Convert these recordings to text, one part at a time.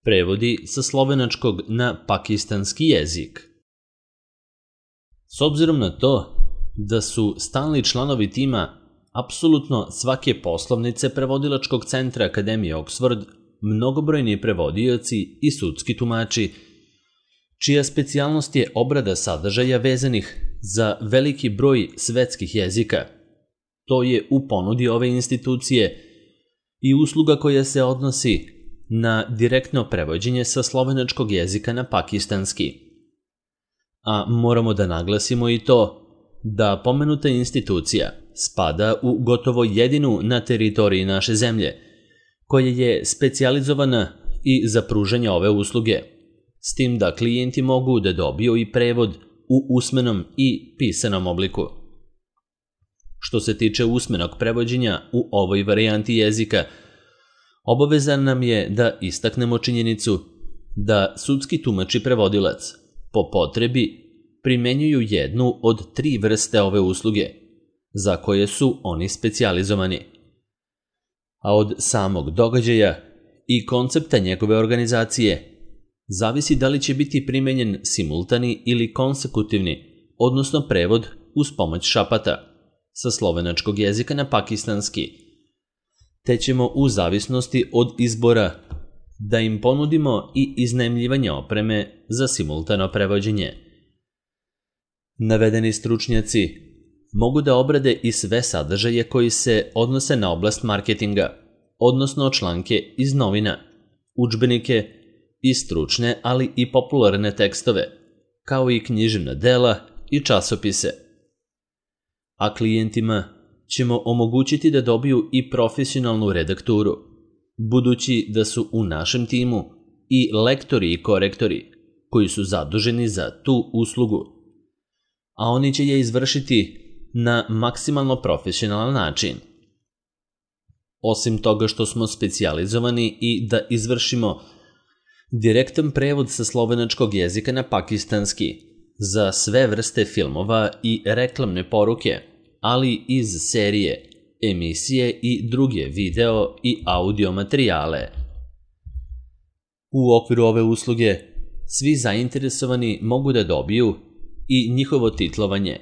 Prevodi sa slovenačkog na pakistanski jezik. S obzirom na to da su stalni članovi tima apsolutno svake poslovnice prevodilačkog centra Akademije Oxford mnogobrojni prevodioci i sudski tumači, čija specijalnost je obrada sadržaja vezanih za veliki broj svetskih jezika. To je u ponudi ove institucije i usluga koja se odnosi na direktno prevođenje sa slovenačkog jezika na pakistanski. A moramo da naglasimo i to da pomenuta institucija spada u gotovo jedinu na teritoriji naše zemlje, koja je specijalizovana i za pružanje ove usluge, s tim da klijenti mogu da dobiju i prevod u usmenom i pisanom obliku. Što se tiče usmenog prevođenja u ovoj varijanti jezika, obavezan nam je da istaknemo činjenicu da sudski tumač i prevodilac po potrebi primenjuju jednu od 3 vrste ove usluge, za koje su oni specijalizovani. A od samog događaja i koncepta njegove organizacije zavisi da li će biti primenjen simultani ili konsekutivni, odnosno prevod uz pomoć šapata, sa slovenačkog jezika na pakistanski, te ćemo u zavisnosti od izbora da im ponudimo i iznajmljivanje opreme za simultano prevođenje. Navedeni stručnjaci mogu da obrade i sve sadržaje koji se odnose na oblast marketinga, odnosno članke iz novina, udžbenike i stručne, ali i popularne tekstove, kao i književna dela i časopise. A klijentima ćemo omogućiti da dobiju i profesionalnu redakturu, budući da su u našem timu i lektori i korektori koji su zaduženi za tu uslugu, a oni će je izvršiti na maksimalno profesionalan način. Osim toga što smo specijalizovani i da izvršimo direktan prevod sa slovenačkog jezika na pakistanski za sve vrste filmova i reklamne poruke, ali iz serije, emisije i druge video i audio materijale. U okviru ove usluge svi zainteresovani mogu da dobiju i njihovo titlovanje,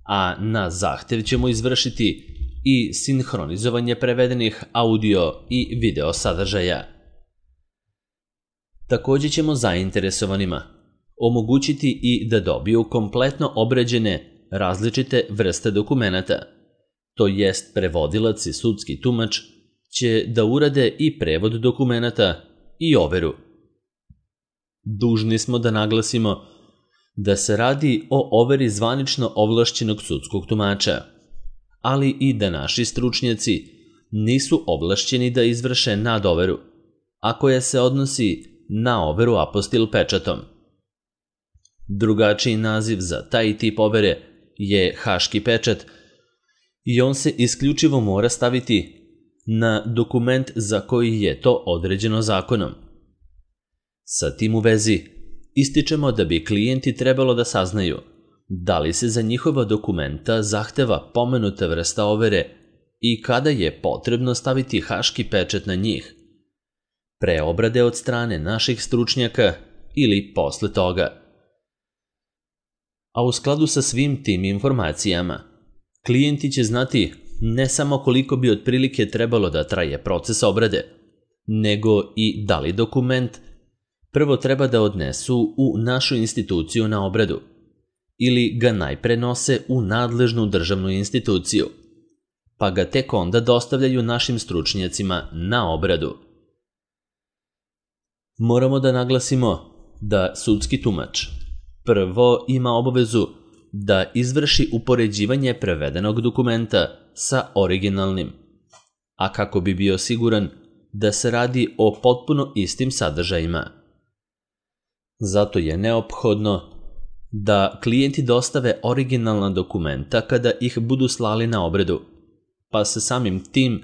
a na zahtev ćemo izvršiti i sinhronizovanje prevedenih audio i video sadržaja. Takođe ćemo zainteresovanima omogućiti i da dobiju kompletno obrađene različite vrste dokumenata, to jest prevodilac i sudski tumač će da urade i prevod dokumenata i overu. Dužni smo da naglasimo da se radi o overi zvanično ovlašćenog sudskog tumača, ali i da naši stručnjaci nisu ovlašćeni da izvrše nadoveru, a koja se odnosi na overu apostil pečatom. Drugačiji naziv za taj tip overe je haški pečat i on se isključivo mora staviti na dokument za koji je to određeno zakonom. Sa tim u vezi ističemo da bi klijenti trebalo da saznaju da li se za njihova dokumenta zahteva pomenuta vrsta overe i kada je potrebno staviti haški pečat na njih, pre obrade od strane naših stručnjaka ili posle toga. A u skladu sa svim tim informacijama, klijenti će znati ne samo koliko bi otprilike trebalo da traje proces obrade, nego i da li dokument prvo treba da odnesu u našu instituciju na obradu ili ga najpre nose u nadležnu državnu instituciju, pa ga tek onda dostavljaju našim stručnjacima na obradu. Moramo da naglasimo da sudski tumač prvo ima obavezu da izvrši upoređivanje prevedenog dokumenta sa originalnim, a kako bi bio siguran da se radi o potpuno istim sadržajima. Zato je neophodno da klijenti dostave originalna dokumenta kada ih budu slali na obradu, pa se samim tim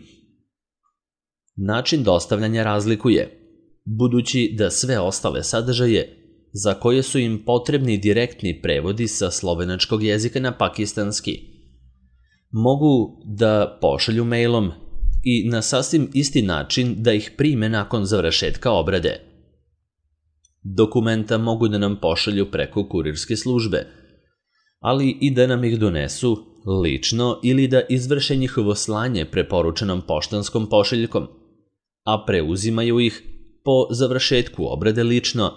način dostavljanja razlikuje, budući da sve ostale sadržaje za koje su im potrebni direktni prevodi sa slovenačkog jezika na pakistanski mogu da pošalju mailom i na sasvim isti način da ih prime nakon završetka obrade, Dokumenta mogu da nam pošalju preko kurirske službe, ali i da nam ih donesu lično ili da izvrše njihovo slanje preporučenom poštanskom pošiljkom, a preuzimaju ih po završetku obrade lično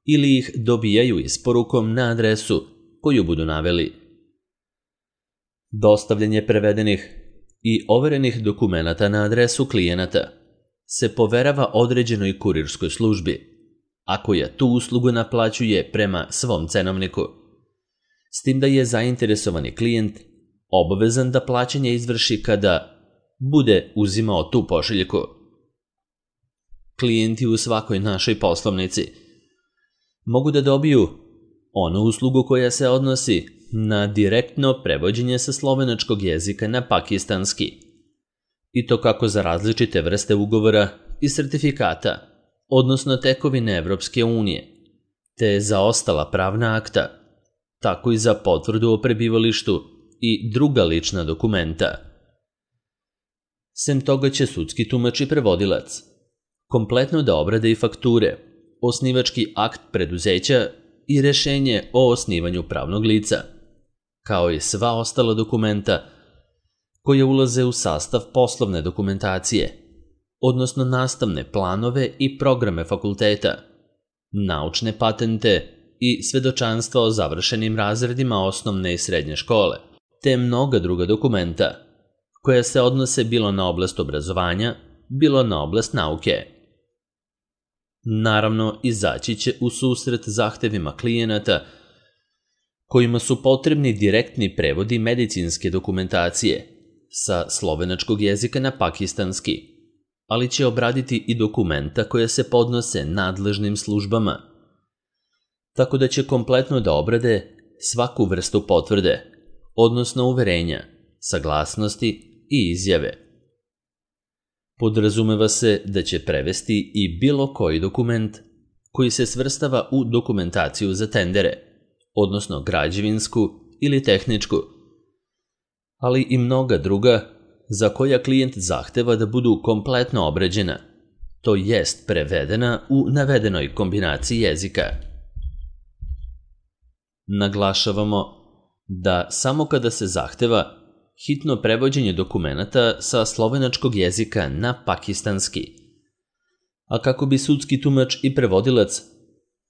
ili ih dobijaju isporukom na adresu koju budu naveli. Dostavljanje prevedenih i overenih dokumenata na adresu klijenata se poverava određenoj kurirskoj službi, a koja tu uslugu naplaćuje prema svom cenovniku, s tim da je zainteresovani klijent obavezan da plaćanje izvrši kada bude uzimao tu pošiljku. Klijenti u svakoj našoj poslovnici mogu da dobiju onu uslugu koja se odnosi na direktno prevođenje sa slovenačkog jezika na pakistanski, i to kako za različite vrste ugovora i sertifikata, odnosno tekovine Evropske unije, te za ostala pravna akta, tako i za potvrdu o prebivalištu i druga lična dokumenta. Sem toga će sudski tumač i prevodilac kompletno da obrade i fakture, osnivački akt preduzeća i rešenje o osnivanju pravnog lica, kao i sva ostala dokumenta koje ulaze u sastav poslovne dokumentacije, odnosno nastavne planove i programe fakulteta, naučne patente i svedočanstva o završenim razredima osnovne i srednje škole, te mnoga druga dokumenta koja se odnose bilo na oblast obrazovanja, bilo na oblast nauke. Naravno, izaći će u susret zahtevima klijenata kojima su potrebni direktni prevodi medicinske dokumentacije sa slovenačkog jezika na pakistanski, ali će obraditi i dokumenta koja se podnose nadležnim službama, tako da će kompletno da obrade svaku vrstu potvrde, odnosno uverenja, saglasnosti i izjave. Podrazumeva se da će prevesti i bilo koji dokument koji se svrstava u dokumentaciju za tendere, odnosno građevinsku ili tehničku, ali i mnoga druga za koja klijent zahteva da budu kompletno obrađena, to jest prevedena u navedenoj kombinaciji jezika. Naglašavamo da samo kada se zahteva hitno prevođenje dokumenata sa slovenačkog jezika na pakistanski, a kako bi sudski tumač i prevodilac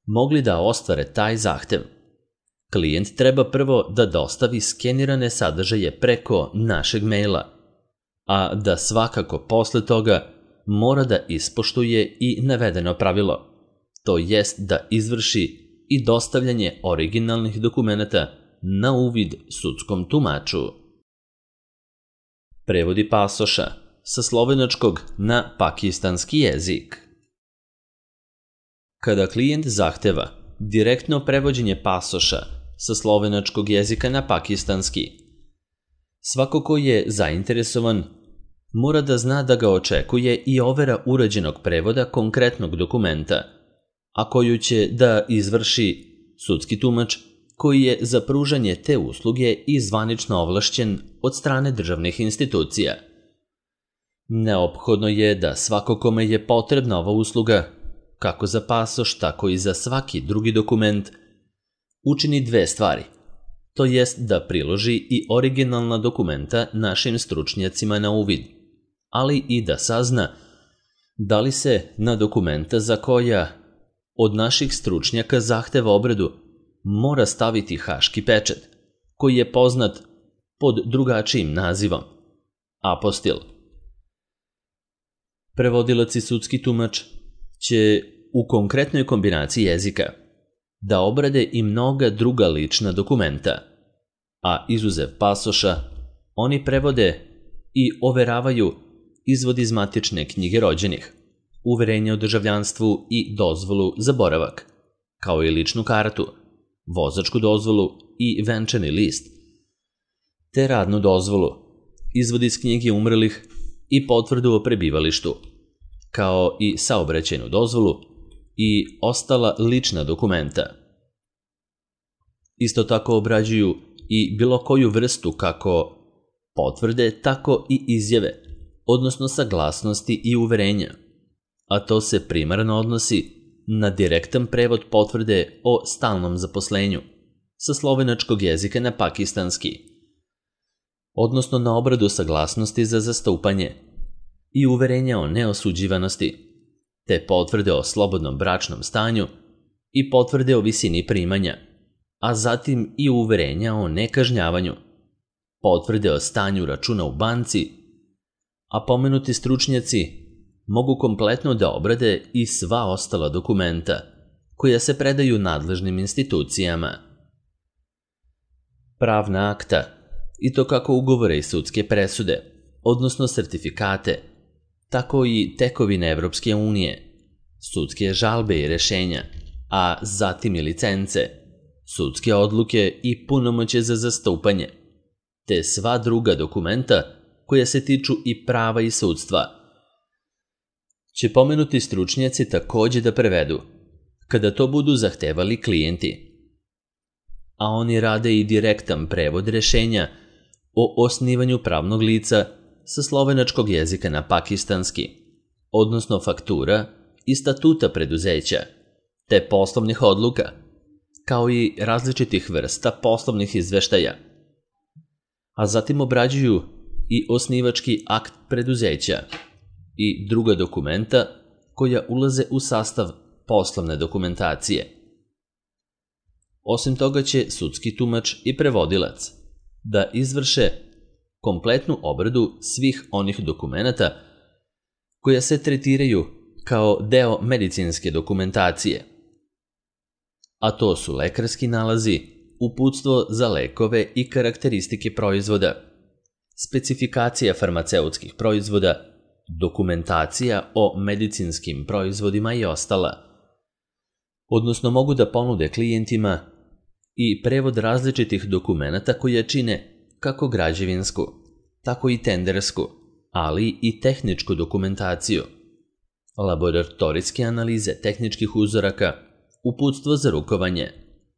mogli da ostvare taj zahtev, klijent treba prvo da dostavi skenirane sadržaje preko našeg maila, a da svakako posle toga mora da ispoštuje i navedeno pravilo, to jest da izvrši i dostavljanje originalnih dokumenata na uvid sudskom tumaču. Prevodi pasoša sa slovenačkog na pakistanski jezik. Kada klijent zahteva direktno prevođenje pasoša sa slovenačkog jezika na pakistanski, svako ko je zainteresovan mora da zna da ga očekuje i overa urađenog prevoda konkretnog dokumenta, a koju će da izvrši sudski tumač koji je za pružanje te usluge i zvanično ovlašćen od strane državnih institucija. Neophodno je da svako kome je potrebna ova usluga, kako za pasoš, tako i za svaki drugi dokument, učini dve stvari, to jest da priloži i originalna dokumenta našim stručnjacima na uvid, ali i da sazna da li se na dokumenta za koja od naših stručnjaka zahteva obradu mora staviti haški pečat, koji je poznat pod drugačijim nazivom, apostil. Prevodilac i sudski tumač će u konkretnoj kombinaciji jezika da obrade i mnoga druga lična dokumenta, a izuzev pasoša, oni prevode i overavaju izvod iz matične knjige rođenih, uverenje o državljanstvu i dozvolu za boravak, kao i ličnu kartu, vozačku dozvolu i venčani list, te radnu dozvolu, izvod iz knjige umrlih i potvrdu o prebivalištu, kao i saobraćajnu dozvolu i ostala lična dokumenta. Isto tako obrađuju i bilo koju vrstu kako potvrde, tako i izjave, odnosno saglasnosti i uverenja, a to se primarno odnosi na direktan prevod potvrde o stalnom zaposlenju sa slovenačkog jezika na pakistanski, odnosno na obradu saglasnosti za zastupanje i uverenja o neosuđivanosti, te potvrde o slobodnom bračnom stanju i potvrde o visini primanja, a zatim i uverenja o nekažnjavanju, potvrde o stanju računa u banci, a pomenuti stručnjaci mogu kompletno da obrade i sva ostala dokumenta koja se predaju nadležnim institucijama. Pravna akta, i to kako ugovore i sudske presude, odnosno sertifikate, tako i tekovine Evropske unije, sudske žalbe i rešenja, a zatim i licence, sudske odluke i punomoćje za zastupanje, te sva druga dokumenta koja se tiču i prava i sudstva, će pomenuti stručnjaci takođe da prevedu, kada to budu zahtevali klijenti. A oni rade i direktan prevod rešenja o osnivanju pravnog lica sa slovenačkog jezika na pakistanski, odnosno faktura i statuta preduzeća, te poslovnih odluka, kao i različitih vrsta poslovnih izveštaja. A zatim obrađuju i osnivački akt preduzeća i druga dokumenta koja ulaze u sastav poslovne dokumentacije. Osim toga će sudski tumač i prevodilac da izvrše kompletnu obradu svih onih dokumenata koja se tretiraju kao deo medicinske dokumentacije, a to su lekarski nalazi, uputstvo za lekove i karakteristike proizvoda, specifikacija farmaceutskih proizvoda, dokumentacija o medicinskim proizvodima i ostala, odnosno mogu da ponude klijentima i prevod različitih dokumenata koja čine kako građevinsku, tako i tendersku, ali i tehničku dokumentaciju, laboratorijske analize tehničkih uzoraka, uputstvo za rukovanje,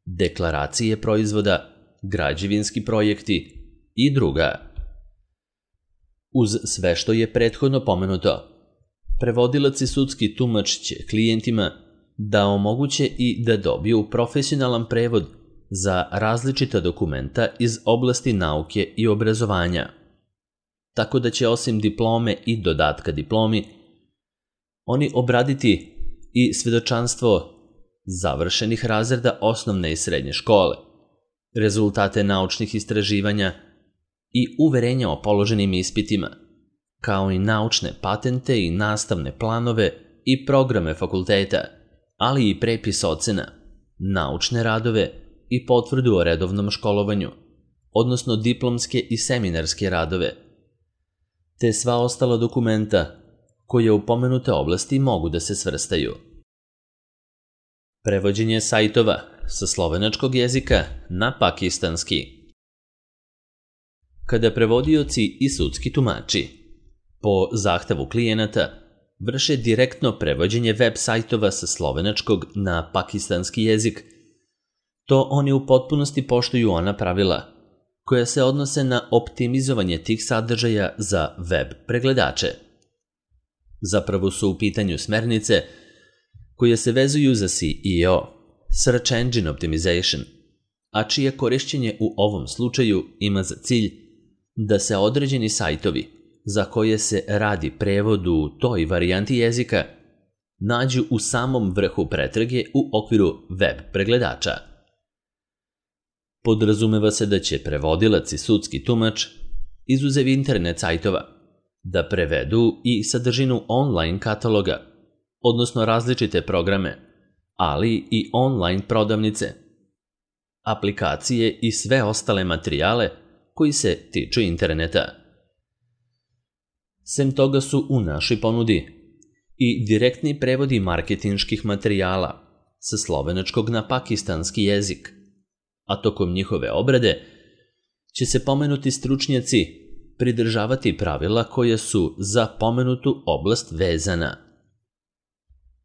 deklaracije proizvoda, građevinski projekti i druga. Uz sve što je prethodno pomenuto, prevodilac i sudski tumač će klijentima da omoguće i da dobiju profesionalan prevod za različita dokumenta iz oblasti nauke i obrazovanja, tako da će osim diplome i dodatka diplomi, oni obraditi i svedočanstvo završenih razreda osnovne i srednje škole, rezultate naučnih istraživanja i uverenja o položenim ispitima, kao i naučne patente i nastavne planove i programe fakulteta, ali i prepis ocena, naučne radove i potvrdu o redovnom školovanju, odnosno diplomske i seminarske radove, te sva ostala dokumenta koje u pomenute oblasti mogu da se svrstaju. Prevođenje sajtova sa slovenačkog jezika na pakistanski. Kada prevodioci i sudski tumači po zahtevu klijenata vrše direktno prevođenje web sajtova sa slovenačkog na pakistanski jezik, to oni u potpunosti poštuju ona pravila koja se odnose na optimizovanje tih sadržaja za web pregledače. Zapravo su u pitanju smernice koje se vezuju za SEO, Search Engine Optimization, a čije korišćenje u ovom slučaju ima za cilj da se određeni sajtovi za koje se radi prevod u toj varijanti jezika nađu u samom vrhu pretrage u okviru web pregledača. Podrazumeva se da će prevodilac i sudski tumač, izuzev internet sajtova, da prevedu i sadržinu online kataloga, odnosno različite programe, ali i online prodavnice, aplikacije i sve ostale materijale koji se tiču interneta. Sem toga su u našoj ponudi i direktni prevodi marketinških materijala sa slovenačkog na pakistanski jezik, a tokom njihove obrade će se pomenuti stručnjaci pridržavati pravila koja su za pomenutu oblast vezana.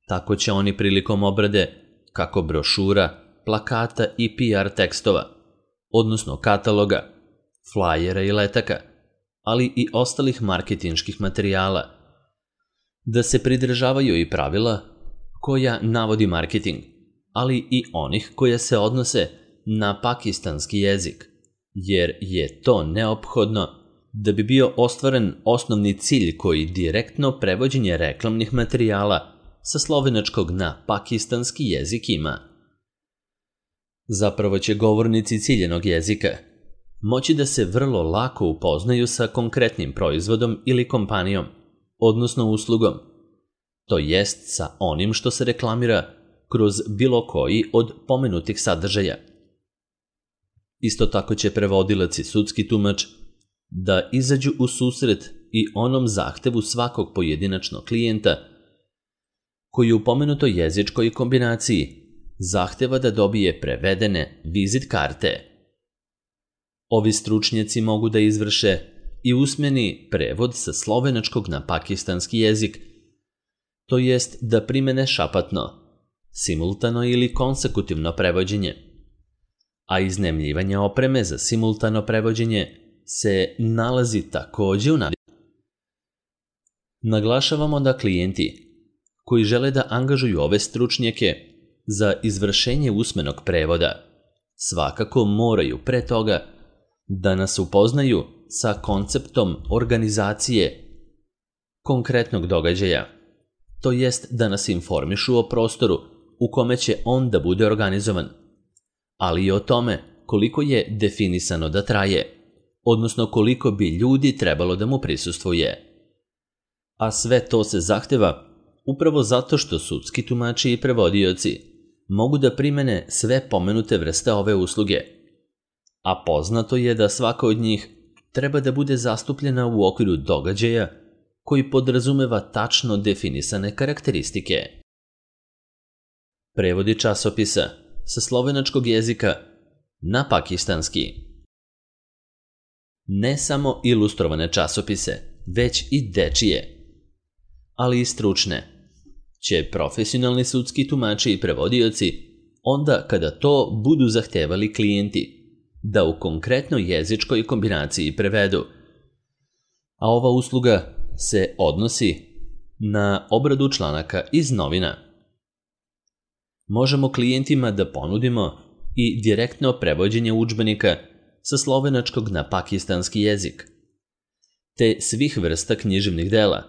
Tako će oni prilikom obrade kako brošura, plakata i PR tekstova, odnosno kataloga, flajera i letaka, ali i ostalih marketinških materijala, da se pridržavaju i pravila koja navodi marketing, ali i onih koja se odnose na pakistanski jezik, jer je to neophodno da bi bio ostvaren osnovni cilj koji direktno prevođenje reklamnih materijala sa slovenačkog na pakistanski jezik ima. Zapravo će govornici ciljenog jezika moći da se vrlo lako upoznaju sa konkretnim proizvodom ili kompanijom, odnosno uslugom, to jest sa onim što se reklamira kroz bilo koji od pomenutih sadržaja. Isto tako će prevodilac i sudski tumač da izađu u susret i onom zahtevu svakog pojedinačnog klijenta koji u pomenutoj jezičkoj kombinaciji zahteva da dobije prevedene vizit karte. Ovi stručnjaci mogu da izvrše i usmeni prevod sa slovenačkog na pakistanski jezik, to jest da primene šapatno, simultano ili konsekutivno prevođenje, a iznajmljivanje opreme za simultano prevođenje se nalazi takođe u Naglašavamo da klijenti koji žele da angažuju ove stručnjake za izvršenje usmenog prevoda svakako moraju pre toga da nas upoznaju sa konceptom organizacije konkretnog događaja, to jest da nas informišu o prostoru u kome će on da bude organizovan, ali i o tome koliko je definisano da traje, odnosno koliko bi ljudi trebalo da mu prisustvuje. A sve to se zahteva upravo zato što sudski tumači i prevodioci mogu da primene sve pomenute vrste ove usluge, a poznato je da svaka od njih treba da bude zastupljena u okviru događaja koji podrazumeva tačno definisane karakteristike. Prevodi časopisa sa slovenačkog jezika na pakistanski. Ne samo ilustrovane časopise, već i dečije, ali i stručne, će profesionalni sudski tumači i prevodioci onda kada to budu zahtevali klijenti da u konkretnoj jezičkoj kombinaciji prevedu, a ova usluga se odnosi na obradu članaka iz novina. Možemo klijentima da ponudimo i direktno prevođenje udžbenika sa slovenačkog na pakistanski jezik, te svih vrsta književnih dela,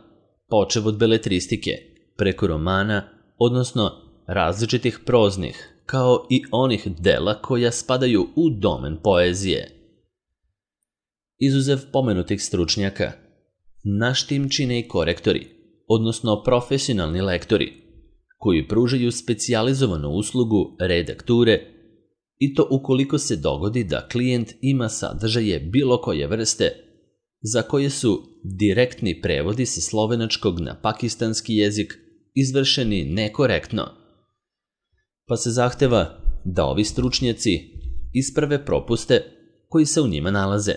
počev od beletristike, preko romana, odnosno različitih proznih, kao i onih dela koja spadaju u domen poezije. Izuzev pomenutih stručnjaka, naš tim čine i korektori, odnosno profesionalni lektori, koji pružaju specijalizovanu uslugu redakture, i to ukoliko se dogodi da klijent ima sadržaje bilo koje vrste za koje su direktni prevodi sa slovenačkog na pakistanski jezik izvršeni nekorektno, pa se zahteva da ovi stručnjaci isprave propuste koji se u njima nalaze.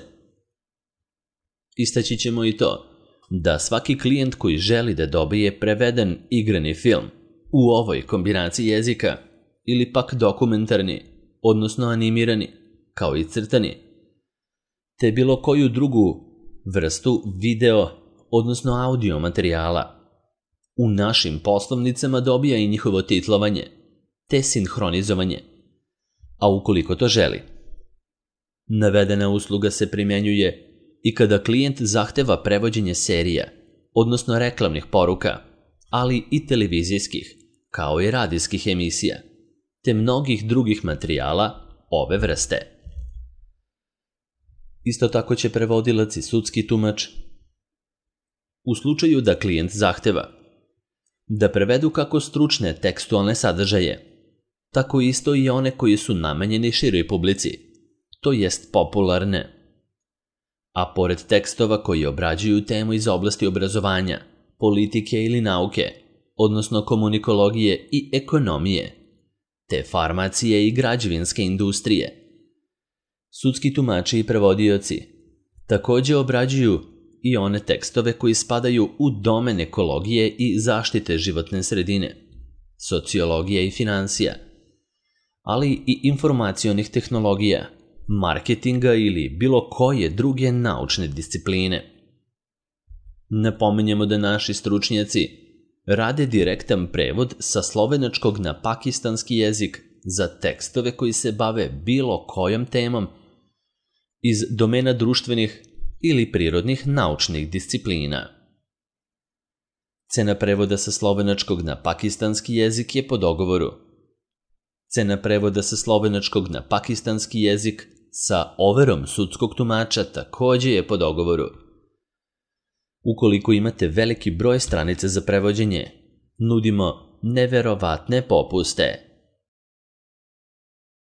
Istaći ćemo i to da svaki klijent koji želi da dobije preveden igrani film u ovoj kombinaciji jezika ili pak dokumentarni, odnosno animirani, kao i crtani, te bilo koju drugu vrstu video, odnosno audio materijala, u našim poslovnicama dobija i njihovo titlovanje, te sinhronizovanje, a ukoliko to želi. Navedena usluga se primjenjuje i kada klijent zahteva prevođenje serija, odnosno reklamnih poruka, ali i televizijskih, kao i radijskih emisija, te mnogih drugih materijala ove vrste. Isto tako će prevodilac i sudski tumač, u slučaju da klijent zahteva da prevedu kako stručne tekstualne sadržaje, tako isto i one koji su namenjeni široj publici, to jest popularne, a pored tekstova koji obrađuju temu iz oblasti obrazovanja, politike ili nauke, odnosno komunikologije i ekonomije, te farmacije i građevinske industrije. Sudski tumači i prevodioci takođe obrađuju i one tekstove koji spadaju u domen ekologije i zaštite životne sredine, sociologije i finansija, ali i informacionih tehnologija, marketinga ili bilo koje druge naučne discipline. Napominjemo da naši stručnjaci rade direktan prevod sa slovenačkog na pakistanski jezik za tekstove koji se bave bilo kojom temom iz domena društvenih ili prirodnih naučnih disciplina. Cena prevoda sa slovenačkog na pakistanski jezik je po dogovoru. Cena prevoda sa slovenačkog na pakistanski jezik sa overom sudskog tumača takođe je po dogovoru. Ukoliko imate veliki broj stranica za prevođenje, nudimo neverovatne popuste.